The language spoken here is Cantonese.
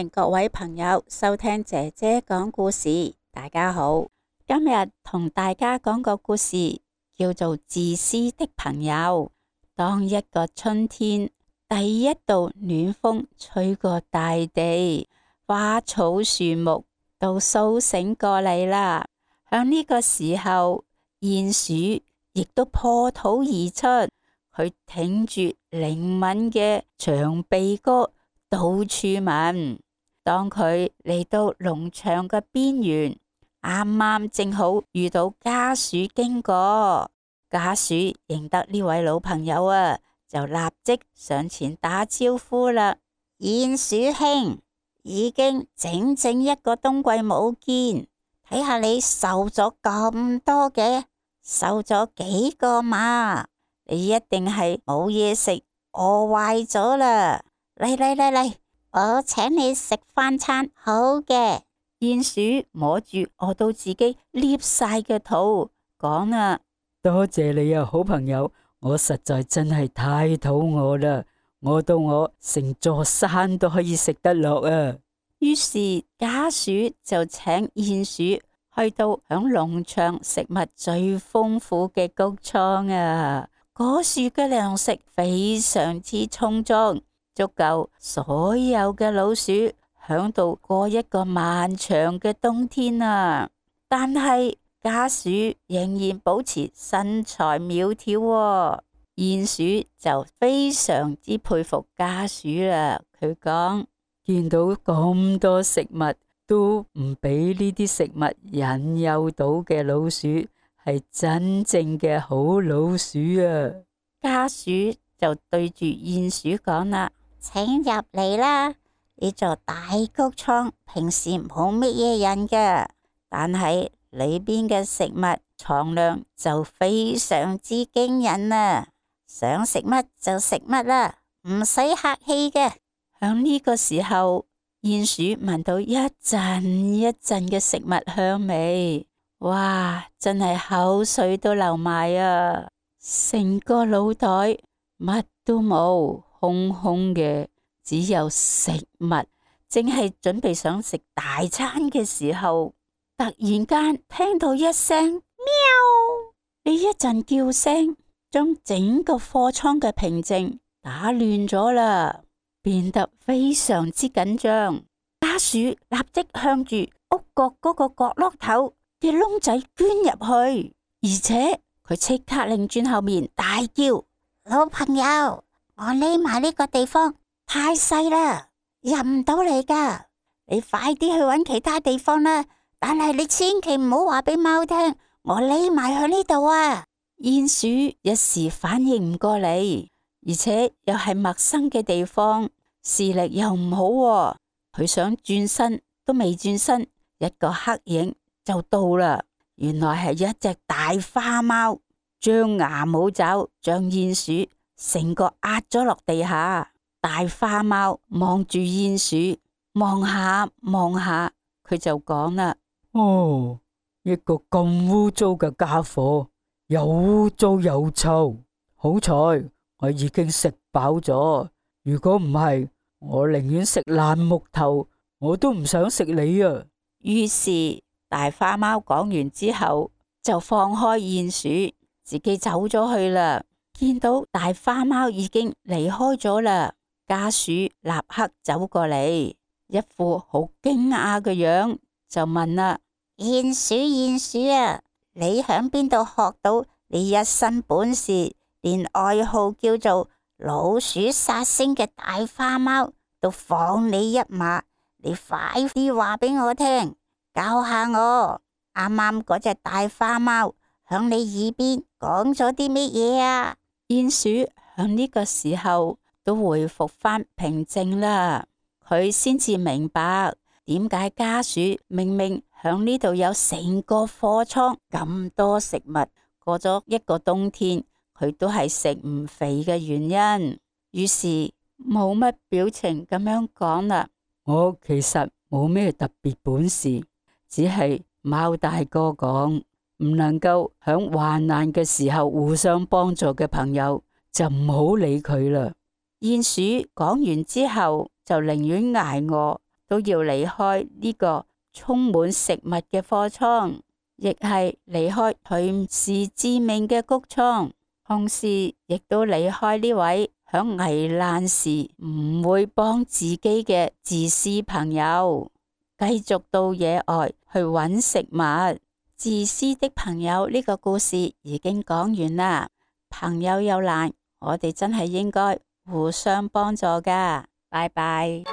迎各位朋友收聽姐姐講故事。大家好，今日同大家講個故事，叫做自私的朋友。當一個春天，第一道暖風吹過大地，花草樹木都蘇醒過嚟啦。響呢個時候，鼴鼠亦都破土而出，佢挺住靈敏嘅長鼻哥，到處聞。當佢嚟到農場嘅邊緣，啱啱正好遇到家鼠經過。家鼠認得呢位老朋友啊，就立即上前打招呼啦。鼴鼠兄，已經整整一個冬季冇見，睇下你瘦咗咁多嘅，瘦咗幾個嘛？你一定係冇嘢食，餓壞咗啦！嚟，我請你食飯餐好嘅。鼴鼠摸住餓到自己裂晒嘅肚，講啊，多謝你啊，好朋友，我實在真係太肚餓啦，餓到我成座山都可以食得落啊！於是家鼠就請鼴鼠去到響農場食物最豐富嘅穀倉啊！果樹嘅糧食非常之充足，足夠所有嘅老鼠響度過一個漫長嘅冬天啊！但係家鼠仍然保持身材苗條喎，鼴鼠就非常之佩服家鼠啦。佢講，見到咁多食物都唔俾呢啲食物引誘到嘅老鼠，係真正嘅好老鼠啊！家鼠就對住鼴鼠講啦，請入嚟啦！呢座大穀倉平時冇乜嘢人嘅，但係裏邊嘅食物藏量就非常之驚人啊！想食乜就食乜啦，唔使客氣嘅。響呢個時候，鼴鼠聞到一陣一陣嘅食物香味，哇！真係口水都流埋啊！成個腦袋乜都冇，空空嘅，只有食物。正係準備想食大餐嘅時候，突然間聽到一聲喵，呢一陣叫聲將整個貨倉嘅平靜打亂咗啦，變得非常之緊張。家鼠立即向住屋角嗰個角落頭嘅窿仔捐入去，而且佢即刻擰轉後面大叫：老朋友，我匿埋呢個地方太細啦，入唔到嚟噶，你快啲去搵其他地方啦！但係你千祈唔好話俾貓聽，我匿埋喺呢度啊！鼴鼠一時反應唔過嚟，而且又係陌生嘅地方，視力又唔好喎，佢想轉身都未轉身，一個黑影就到啦。原來係一隻大花貓，張牙舞爪，將鼴鼠成個壓咗落地下。大花貓望住鼴鼠，望下望下，佢就講啦：哦，一個咁污糟嘅家伙，又污糟又臭。好彩我已經食飽咗，如果唔係，我寧願食爛木頭，我都唔想食你啊！於是大花貓講完之後，就放開鼴鼠，自己走咗去啦。見到大花貓已經離開咗啦，家鼠立刻走過嚟，一副好驚訝嘅樣，就問啦：鼴鼠啊，你響邊度學到你一身本事，連愛好叫做老鼠殺星嘅大花貓都放你一馬？你快啲話俾我聽，教下我。啱啱嗰隻大花貓響你耳邊講咗啲乜嘢啊？鼴鼠響呢個時候都恢復翻平靜啦，佢先至明白點解家鼠明明響呢度有成個貨倉咁多食物，過咗一個冬天佢都係食唔肥嘅原因。於是冇乜表情咁樣講啦：我其實冇咩特別本事，只係貓大哥講，唔能夠響患難嘅時候互相幫助嘅朋友就唔好理佢啦。鼴鼠講完之後就寧願挨餓都要離開呢個充滿食物嘅貨倉，亦係離開隨時致命嘅穀倉，同時亦都離開呢位響危難時唔會幫自己嘅自私朋友，繼續到野外去揾食物。自私的朋友呢個故事已經講完啦。朋友有難，我哋真係應該互相幫助㗎。拜拜。